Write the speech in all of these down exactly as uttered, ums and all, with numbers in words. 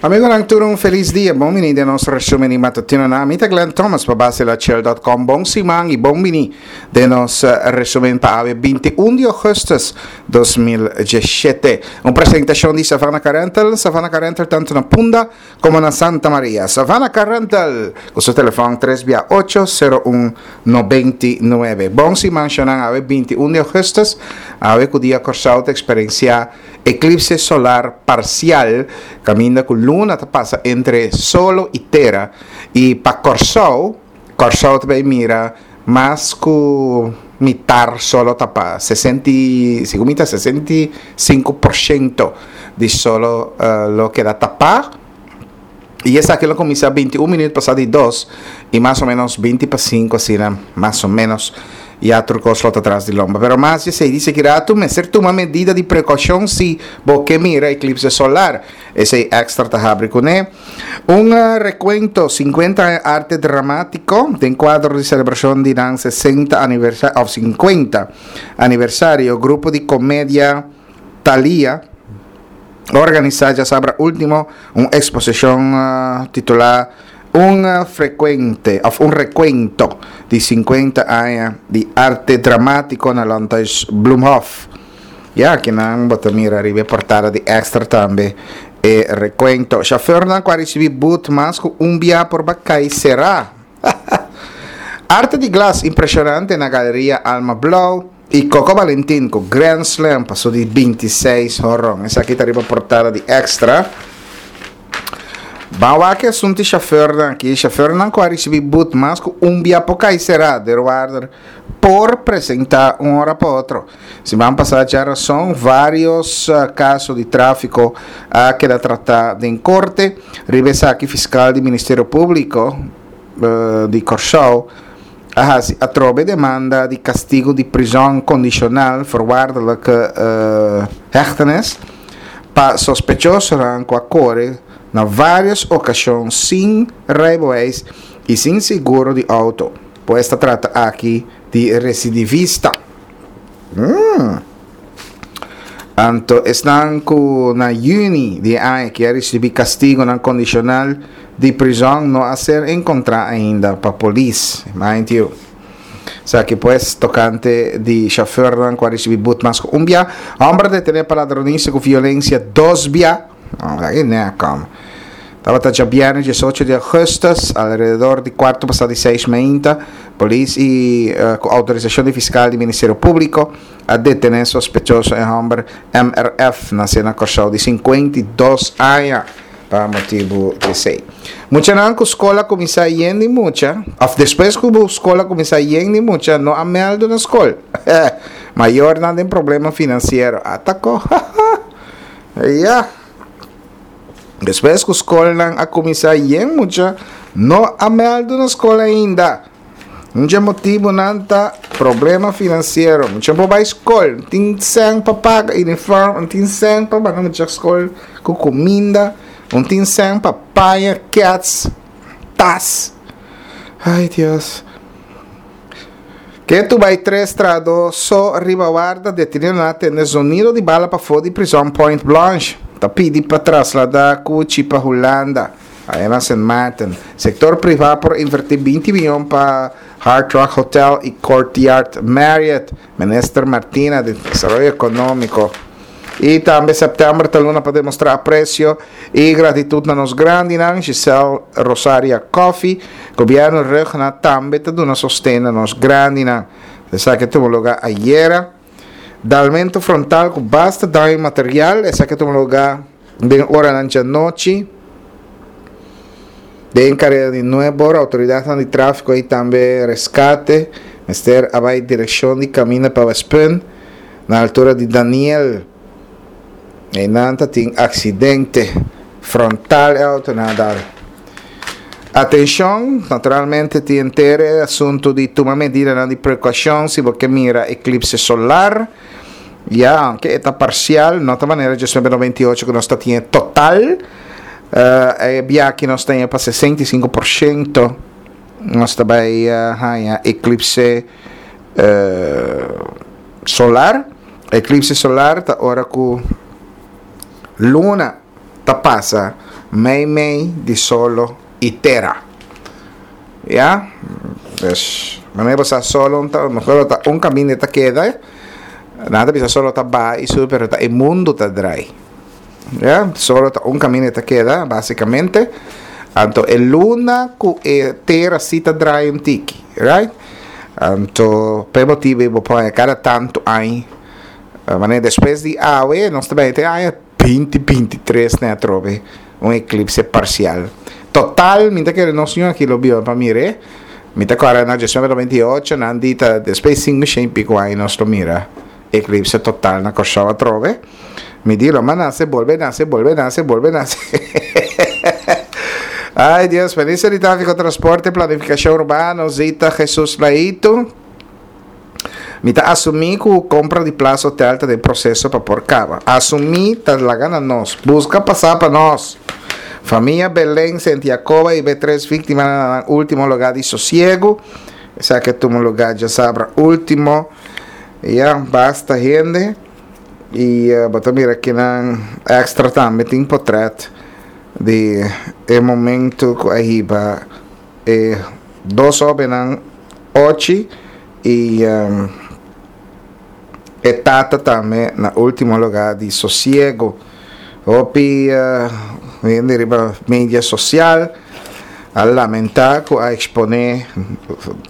Amigonan, tur un felis dia. Bon bini den nos resumen di matutino na mi ta Glenn Thomas pa Basilachel punto com. Bon siman y bon bini den nos resumen pa awe binti un di augustus dos mil diesshete. Un presentacion di Savannah Car Rental, Savannah Car Rental tanto na Punda como na Santa Maria. Savannah Car Rental, cu su telefon tres via ocho cero un nobenta i nuebe. Bon siman, shonan. Awe binti un di augustus, awe cu dia Corsou ta experiencia eclipse solar parcial, caminda cu luna ta pasa entre solo y tera y pa Corsou, Corsou tambe mira mas cu mitar solo tapa, sesenta, segun mi ta sesenta i sinku porciento di solo uh, lo keda tapa. Y esaki lo cuminsa binti un minuut pasa di dos y mas o menos binti pa sinku, asina, mas o menos, ya tur cos lo ta tras di lomba. Pero mas esey dice cu rato mester tuma medida di precaucion si bo ke mira eclipse solar. Esey Extra ta habri cune. Un uh, recuento, cincuenta arte dramatico, den cuadro di celebracion di nan sesenta aniversario, of cincuenta aniversario, grupo di comedia Thalia a organisa diasabra ultimo un exposicion uh, titula Un uh, frecuente, of un recuento di cincuenta aña di arte dramatico na Landhuis Bloemhof. Ya, aki nan bo ta mira riba portada di Extra tambe e recuento. Chauffeur nan cu a ricibi boet mas cu un bia por bay cay sera. Arte di glas impresionante na Galeria Alma Blauw y Coco Valentin cu Grand Slam pa su di bintiseis horon. Esaki ta riba portada di Extra. Ban wak e asunto chauffeur nan aki. Chauffeur nan cu a ricibi boet mas cu un bia por cay sera. Deurwaarder por presenta un ora pa otro. Siman pasa diarazon, varios uh, caso di trafico a keda trata den corte. Riba esaki fiscal di Ministerio Publico uh, di Corsou a hasi atrobe demanda di castigo di prison condicional, voorwaardelijke uh, hechtenis, pa sospechoso cu a core na varios ocasion sin rijbewijs y sin seguro di auto. Pues ta trata aki di recidivista. Mm. Anto, esnan cu na juni di aña aki a ricibi castigo nan condicional di prison no a ser encontra ainda pa polis. Mind you. Esaki pues tocante di chauffeur nan cu a ricibi boet mas un bia. Homber deteni pa ladronicia cu violencia dos bia. Oh, ey ne kom. Tabata diabierna diesocho di augustus, alrededor di cuarto pasa di seis mainta, polis y uh, cu autorisacion di fiscal di Ministerio Publico a detene sospechoso e homber M R F, naci na Corsou, di cincuenta i dos aña, pa motibo di esey. Muchanan cu scol a cuminsa yen di mucha, of despues cu scol a cuminsa yen di mucha, no a meldo na scol. Mayornan tin problema financiero. Ataco. Ja. Despues cu scol a cuminsa yen mucha, no a meldo na scol ainda. Un di e motibonan ta problema financiero. Mucha por bay scol, tin cen pa paga uniform, tin cen pa paga mucha scol cu cuminda, no tin cen pa paga keds, tas. Ay, Dios. Keto bay tres trahado so riba warda, deteni a tende zonido di bala pafo di prison Point Blanche. Ta pidi pa traslada Cuchi pa Hulanda. Ey na Saint Martin. Sector priva por inverti binti miyon pa Hard Rock Hotel y Courtyard Marriott. Minister Martina di Desaroyo Economico. Y tambe september ta luna pa demostra aprecio y gratitud na nos grandinan, Giselle Rosaria Coffee. Gobierno Rugna tambe ta duna sosten na nos grandinan. Esaki a tuma luga ayera. Dalmento frontal cu basta daño material. Esaki a tuma luga den ora di anochi. Den careda di Nuevo, autoridad di trafico y tambe rescate. Mester a bay direccion di caminda pa Westpunt, na altura di Daniel. Eynan tin accidente frontal e auto a dal. Atencion, naturalmente tin e asunto di tuma medida di precaucion si bo mira eclipse solar. Ya, aunke ta parcial, no ta manera di noventa i ocho cu nos tin total. Uh, e biaha aki nos tin pa sesenta i sinku porciento nos ta bay uh, eclipse uh, solar. Eclipse solar ta ora cu luna ta pasa meimei di solo i tera. Ya? Pues, manera bo sa solo ta, mehor ta un kaminda ta keda. Nan ta bisa solo ta baha i subi, pero ta e mundu ta drai. Ya? Solo ta un kaminda ta keda, básikamente. Anto e luna ku e tera si ta drai un tiki, right? Anto, p'e motibu bo por kada tantu aña, manera despues di awe, nos ta bai te aña binti binti tres ne atrobe un eklipse parsial. Total, mi ta kere nos ño aki lo biba pa mir'é. Mi ta kòrda na diesnuebe noventa i ocho nan di ta despues sinku shen i piko aña nos lo mira eklipse total na Kòrsou atrobe. Mi di lo m'a nase, bolbe nase, bolbe nase, bolbe nase. Ay Dios, Minister di Tráfiko, Transporte i Planifikashon Urbano, Zita Jesus Laito. Mi ta asumí ku kompra di Plaza Hotel ta den proseso pa por kaba. Asumí ta laga na nos. Buska pasá pa nos. Famia Belén, Sentiakoba i B tres víktimanan na nan último lugá di sosiegu. Esaki a tuma lugá djasabra último. Ya, basta hende. I bo ta mira kinan extra tambe tin potrèt di e momento ku a hiba e dos hóbennan ochi i e tata tambe na último lugá di sosiego. Hopi hende riba media sosial a lamentá ku a eksponé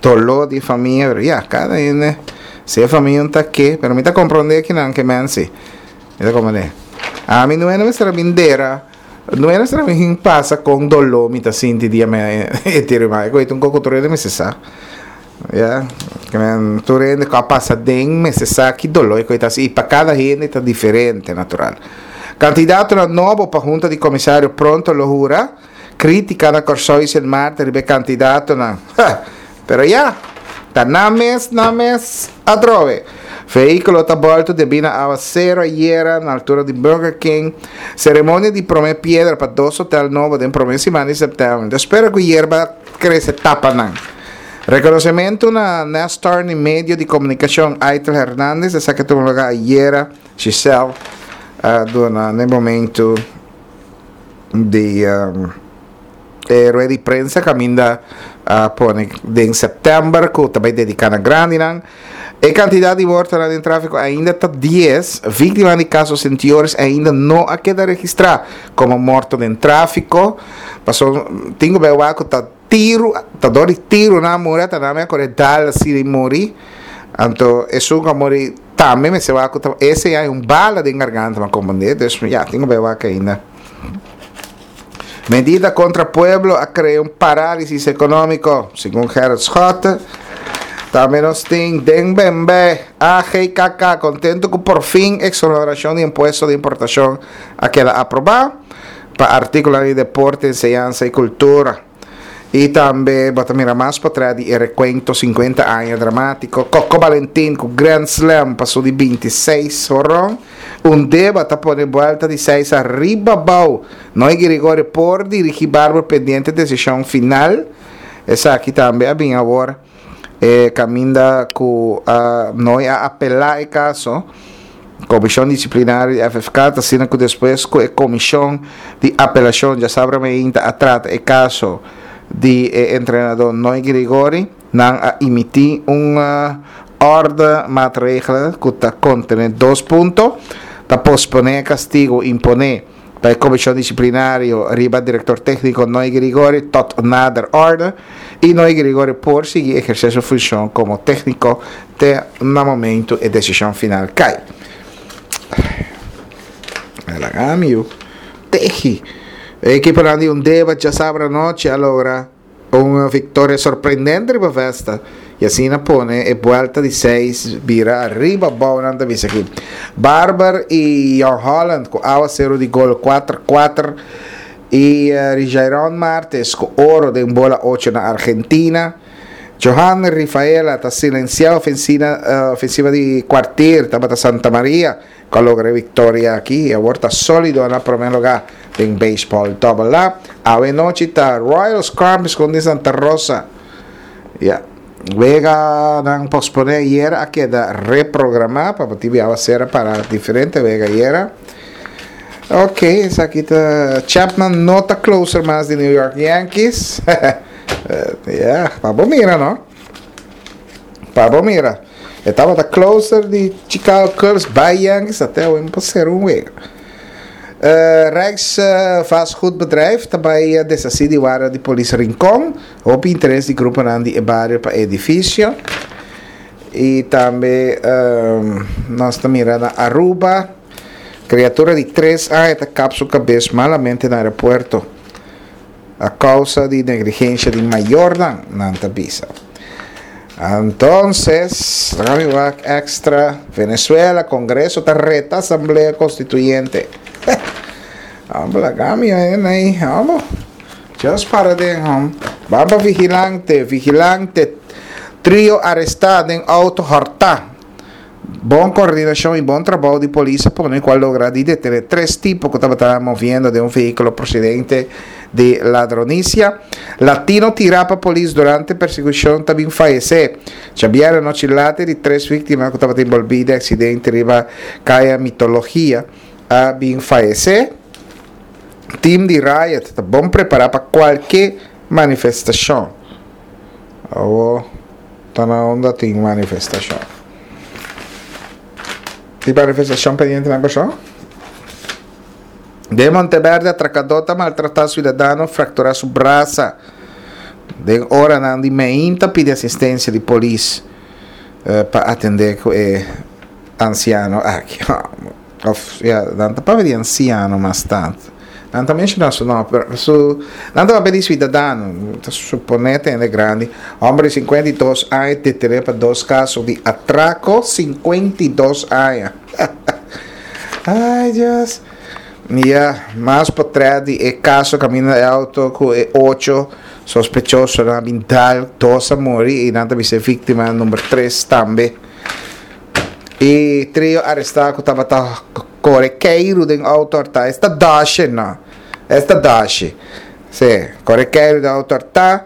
doló di famia, pero ya, kada hende si e famia un ta ke, pero mi ta komprondé kinan ke men si. Mi ta komprondé. Ami no e mester a bin dera, no e mester a bin pasa kon doló mi ta sinti dia mi a entier'é mi mama. E koe ta un koko tur hende mester sa. Ya, tur hende ku a pasa den mester sa ki doló e koe ta hasi i pa kada hende ta diferente natural. Kandidatonan nobo pa Hunta di Komisario pronto lo hura. Krítika na Kòrsou i Sint Maarten riba e kandidatonan. Ha! Pero ya, ta nan mes, nan mes atrobe. Vehíkulo ta bòltu debí na awasero ayera na altura di Burger King. Seremonia di promé piedra pa dos hotel nobo den promé siman di sèptèmber. Ta spera ku yerba krese tapa nan. Rekonosementu na Nestor ni medio di komunikashon Aitel Hernandez. Esaki a tuma lugá ayera. Giselle a duna na e momentu di e rueda di prensa kaminda a pone den sèptèmber ku ta bai dediká na grandinan. E kantidat di mortonan den tráfiko ainda ta dies. Víktimanan di kaso Sint Joris ainda no a keda registrá komo morto den tráfiko. Pasobra tin ku bai wak ku ta tiru, ta dor di tiru nan a muri, ata nan a kore dal asina i muri. Anto esun ku a muri tambe mester wak ku ta ese ya un bala den garganta mi a komprendé. Dus ya tin ku bai wak ainda. Medida kontra pueblo a krea un parálisis ekonómiko, segun Gerrit Schotte. Tambe nos tin den Bembe, A G K K kontentu ku por fin eksonerashon di impuesto di importashon a keda aprobá pa artíkulonan di deporte, enseñansa i kultura. I tambe bo ta mira mas potrèt di e rekuento sinkuenta aña dramátiko. Coco Valentin ku Grand Slam pa su di binti seis horon. Un deba ta pone buelta di seis ariba abou. Noy Girigorie por dirigí Barber pendiente desishon final. Esaki tambe a bin awor e kaminda ku Noy a apelá e kaso. Komishon Disiplinario di F F K ta asina ku despues ku e komishon di apelashon djasabra meinta a trata e kaso di e entrenadó Noy Girigorie, nan a emití un orde maatregelen ku ta kontené dos punto, ta posponé e kastigu imponé pa e komishon disiplinario riba direktor tékniko Noy Girigorie tot nader orde i Noy Girigorie por sigui ehersé su funshon komo tékniko te na momentu e desishon final kai. Laga mi yu. Tehi. E ekiponan di Undeba djasabra anochi a logra un viktoria sorprendente riba Vesta i asina pone e buelta di seis bira ariba abou, nan ta bisa aki. Barber i Jong Holland ku awaseru di gol kuater kuater i Rijairon Martes ku oro den bola ocho na Argentina. Johan Rifaela ta silensiá ofensina ofensiva di Kwartier tabata Santa Maria ku a logra e viktoria aki i awor ta sólido na promé lugá den beisbòl Double A. Awe nochi ta Royal Scorpions kontra Santa Rosa. Ya. Weganan posponé ayera a keda reprogramá pa motibu di awasera para diferente wega ayera. Ok, esaki ta Chapman no ta closer mas di New York Yankees. uh, yeah, pa bo mira, no? Pa bo mira. E tabata closer di Chicago Cubs bay Yankees te un pa un wega. Uh, Rijks uh, vastgoedbedrijf tambe uh, deshasí di warda di polis Rincon. Hopi interes di grupo di bario pa edifisio. I tambe um, nos ta mirando Aruba. Kriatura di tres aña ta kap su kabes malamente na aeropuerto a kousa di negligensia di mayornan, nan ta bisa. Entonces, Extra, Venezuela, Kongreso ta reta Asamblea Konstituyente. Vamos ahí, vamos. Just para de Vamos Vigilante, Vigilante. Trio arestá den outo hòrtá. Bon koordinashon i bon trabou di polis pa kual a logra di detené tres tipo ku tabata moviendo den un vehíkulo prosedente di ladronisia. Latino tirá pa polis durante persekushon tambe a fayesé. Xavier anochi laat di tres víktima ku tabata enbolbí den aksidente riba Kaya Mitologia a bin fayesé. Team di Riot ta bon prepará pa kualke manifestashon. Oh, ta na unda tin manifestashon. Tin manifestashon pendiente na persona? De Monteverde, atrakadó ta maltratá siudadano, frakturá su brasa. Den ora di mainta pidi asistensia di polis uh, pa atendé ku e ansiano aki. Of, ja, nan ta papia di ansiano mas tantu. Nan ta menshoná su nòmber, su, nan ta papia di siudadano, suponé hende grandi, hòmber di sinkuenta i dos aña, detené pa dos kaso di atrako, sinkuenta i dos aña. Ai, Dios. Ja, mas potrèt di e kaso kaminda e outo ku e ocho sospechoso a bin dal, dos a muri i nan ta bisa víktima number tres tambe. E trio arestá ku tabata kore keiru den outo hòrtá. Esta dashi, no. Esta dashi. Si, kore keiru den outo hòrtá.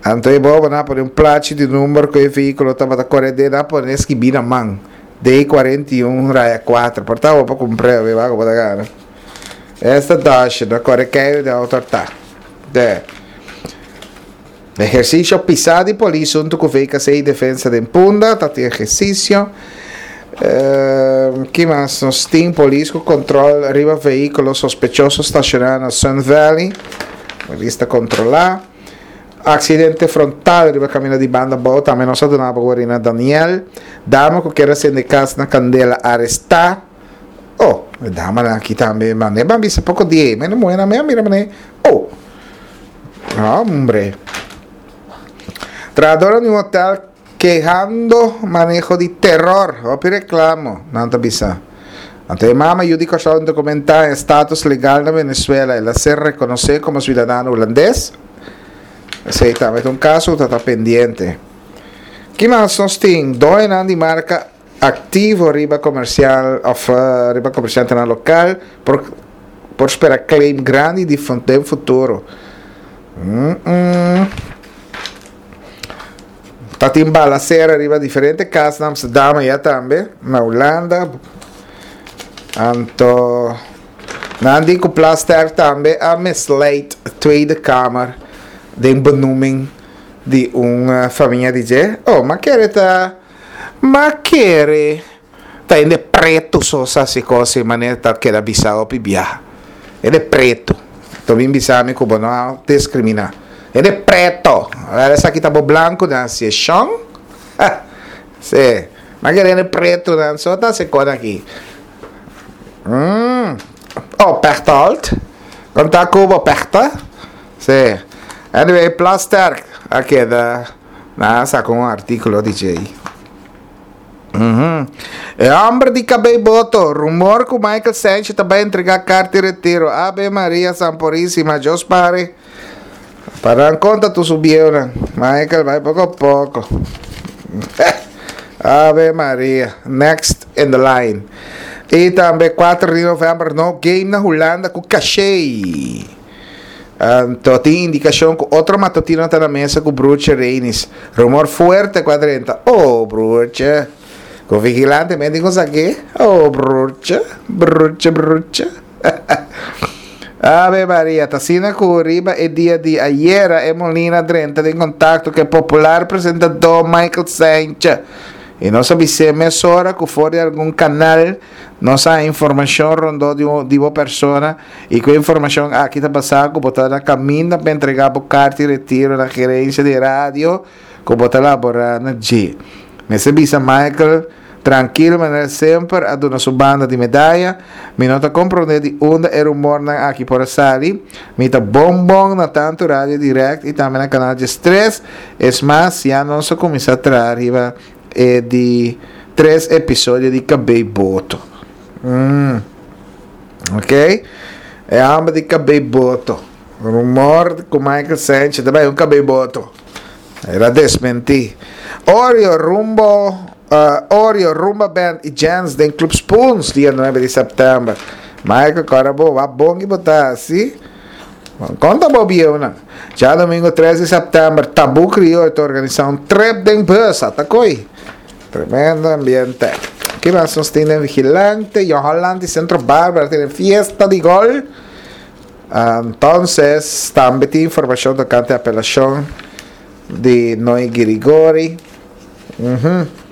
Anto e bobo nan pone un plachi di number ku e vehíkulo tabata kore den, nan pone skibí na man. D kuarenta i un raya kuater. Por ta pa kumpra, wak kon ta gana. Esta dashi, no kore keiru den outo hòrtá. De. Ehersisio pisá di polis huntu ku V K C i Defensa di Punda, ta tin ehersisio. Uh, ki mas? Nos tin polis ku kontrol riba vehíkulo sospechoso stashoná na Sun Valley. Polis ta kontrolá. Aksidente frontal riba kaminda di Banda Bou, tambe nos a duna na Daniel. Dama ku kier a sende kas na kandela arestá. Oh, dama aki tambe, mas ban bisa poko di, mas no ta mira mira. Oh. Hombre. Trahadó di un hotel kehando maneho di teror. Hopi reklamo, nan ta bisa. Anto, mama yu di Kòrsou dokumentá status legal na Venezuela, el a ser rekonosé komo siudadano hulandes. Esei tambe ta un kaso ku ta pendiente. Ki mas nos tin? Doño di marka aktivo riba komersial òf uh, riba komersiante lokal por por spera claim grandi di den futuro. Mm -mm. Ta tin balasera riba diferente kas na Amsterdam ya tambe, na Hulanda. Anto nan di ku Plasterk tambe a misleid Tweede Kamer den benoeming di un uh, famia di dje. Oh, ma kere ta ma kere ta hende pretu so sa hasi kos manera ta keda bisa hopi biaha. Hende pretu. To bin bisa mi ku bo no diskriminá. Hende pretu. Esaki ta bo blanku na seshon. Si. Ma kere hende pretu nan so ta hasi kos aki. Mm. Oh, Pechtold. Konta ku bo Pechta? Si. Anyway, Plasterk. A keda na saka un artíkulo D J. Uhum. E hòmber di kabei boto, rumor ku Michael Sanchez tambe a entregá karta di retiro. Ave Maria Sanpurísima, Dios pare. Para konta tu subiu, Michael, bai poko poko. Ave Maria. Next in the line. I tambe kuater di novèmber, no game na Hulanda ku Caché. Anto, tin indikashon ku otro matutino ta na mesa ku Broertje Reinis. Rumor fuerte kuadrenta. Oh, Broertje. Ku Vigilante, me digo aqui. Oh, Broertje. Broertje, Broertje. Ave Maria, ta asina ku riba e dia di ayera e Molina a drenta den kontakto ku e popular presentadó Michael Saintje i nos a bis'é mesora ku for di algun kanal nos a haña informashon rondó di di bo persona i ku e informashon aki ta basá ku bo ta na kaminda pa entregá bo karta di retiro na gerensia di radio ku bo ta laborá na dje. Mester bisa Michael Trankil manera semper a duna su banda di medaya. Mi no ta komprondé di unda e rumornan aki por a sali. Mi ta bon bon na tantu Radio Direct i tambe na Kanal diestres. Es mas, ya nos a kuminsá traha riba e di tres episodio di Kabei Boto. Mm. Ok. E hòmber di Kabei Boto. Rumor ku Michael Sanchez ta bai un Kabei Boto. El a desmentí. Oreo rumbo Oreo, Rumba Band i Jens den Club Spoons dia nuebe di sèptèmber. Michael kòrda bo, wak bon ki bo ta hasi. Konta bo bieunan. Djadomingo tres di sèptèmber Tabú Krioyo ta organisá un trip den bus. Ata koi. Tremendo ambiente. Ki mas nos tin den Vigilante? Jong Holland i Centro Barbara tene fiesta di gòl. Entonces tambe tin informashon tokante apelashon di Noy Girigori. Uhum.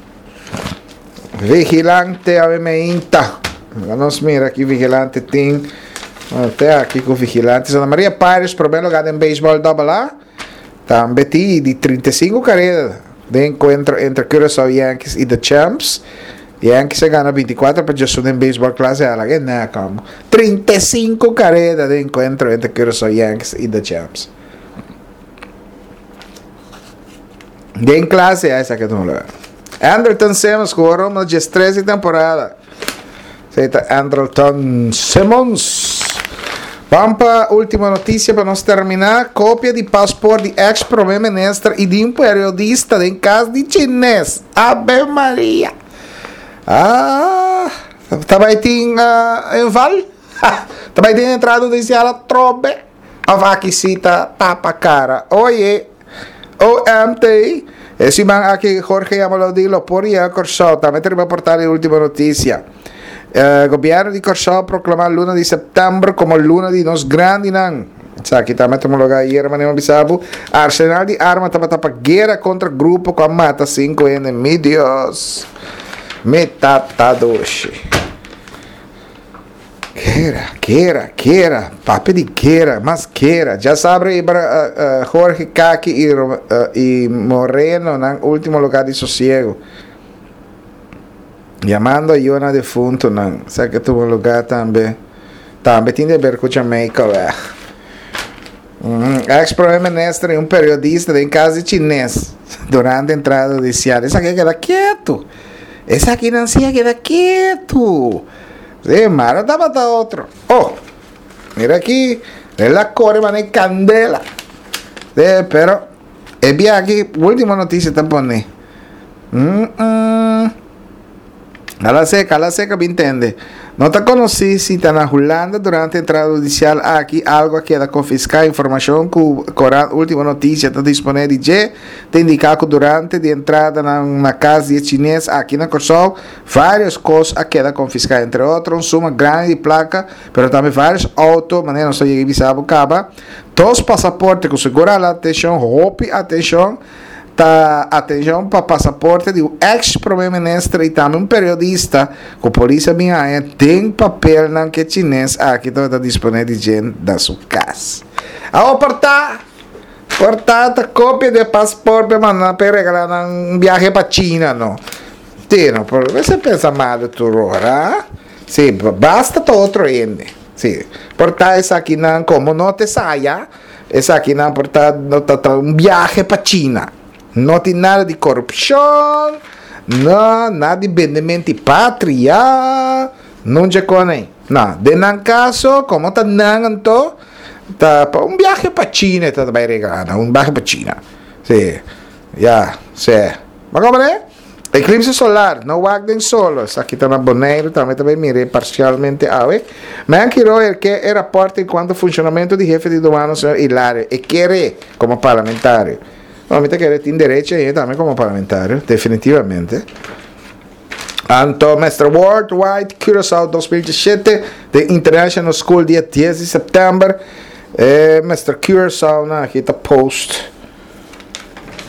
Vigilante awe meinta. Laga nos mira ki vigilante tin. Te aki ku vigilante. Santa Maria Pirates prome lugar den beisbòl Double A. Tambe tin di trinta i sinku kareda den enkuentro entre Curaçao Yankees i The Champs. Yankees a gana binti kuater pa djesun den beisbòl klase A. Laga e nèk amo. Trinta i sinku kareda den enkuentro entre Curaçao Yankees i The Champs. Den klase A esaki a tuma lugar. Andrelton Simmons ku oro na diestres di temporada. Esei ta Andrelton Simmons. Ban pa último noticia pa nos terminá. Kopia di pasport di ex prome minister i di un periodista den kas di chines. Ave Maria! Ah, ta bai tin uh, inval? Ta bai tin entrada hudisial atrobe? Of aki si ta tapa kara? Oye, O M T, E siman aki Jorge Yamalodi lo por yega Kòrsou. Tambe ta riba portal di Ultimo Noticia. Gobièrnu di Kòrsou a proklamá luna di sèptèmber komo luna di nos grandinan. Esaki tambe a tuma lugá ayera manera mi a bisa bo. Arsenal di arma tabata pa guera kontra grupo ku a mata sinku hende. Mi Dios! Mi tata dushi. Guera, guera, guera, papia di guera, mas guera. Dja sabra e Jorge Kaki i i Moreno nan ultimo lugar di sosiego. Yamando a yona defuntonan. Sa ke tuma lugar tambe. Tambe tin di ber ku Jamaica weg. Ex prome minister i un periodista den kas di chines durante entrada hudisial. Esaki a keda ketu. Esakinan si a keda ketu. Sí, mara tabata otro. Oh, mira aquí, el a corre mane candela. Sí, pero e bia aquí, última noticia ta pone. Mm -mm. Ala seca, ala seca, mi intende. No ta conocí si ta na Hulanda durante entrada hudicial aki algo a keda confiscá. Informacion cu corant Ultima Noticia ta dispone di dje ta indica cu durante di entrada nan na cas di e chines aki na Corsou, Varios kos a keda konfiská, entre otro un suma grandi di plaka, pero tambe varios outo, manera nos a yega bisa bo kaba, dos pasaporte ku sigur a hala atenshon, hopi atenshon, ta atenshon pa pasaporte di un eks prome minister i tambe un periodista ku polis a bin haña den papelnan ku e chines aki tabata disponé di dje na su kas. Awor por ta! Por ta ta kopia di e pasport pa e manda nan pa e regalá nan un biahe pa China no. Sí, no por mester pensa malu tur ora. Sí, basta ta otro hende. Sí, por ta esakinan como no te saya, esakinan por ta no ta ta un biahe pa China. No tin nada di corupcion, no, nada di bendemento di patria, nunca con ei. No, den nan caso, como ta nan anto, ta pa un biahe pa China e ta bay regala nan, un biahe pa China. Sí, ya, sí. Bo comprende? Eclipse solar, no wak den solo. Esaki ta na Boneiru, tambe ta bay mira parcialmente awe. Menky Royer ke e raport en cuanto funcionamento di hefe di douane señor Hilario. E kere como parlamentario. No, mi ta kere tin derecho ahi tambe como parlamentario, definitivamente. Anto Mister Worldwide Curaçao dos mil diesshete di International School dia dies di sèptèmber. Eh, Mister Curaçao na aki ta post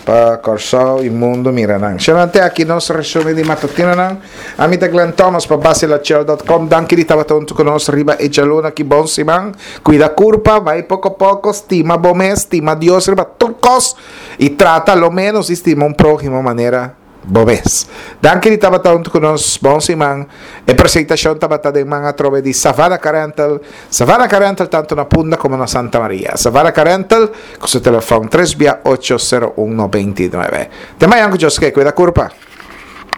pa Kòrsou i mundu mira nan. Xanante aki nos resumen di matutino nan. Ami ta Glenn Thomas pa basilachel punto com. Danki di tabata huntu ku nos riba e djaluna aki. Bon siman. Kuida kurpa, bai poko poko, stima bo mes, stima Dios riba tur kos i trata lo menos stima un próhimo manera bo mes. Danki di tabata huntu ku nos. Bon siman. E presentashon tabata den man atrobe di Savannah Car Rental. Savannah Car Rental tantu na Punda komo na Santa Maria. Savannah Car Rental ku su telefòn tres bia ocho sero un nobenta i nuebe. Te mañan ku Dios ke. Kuida kurpa.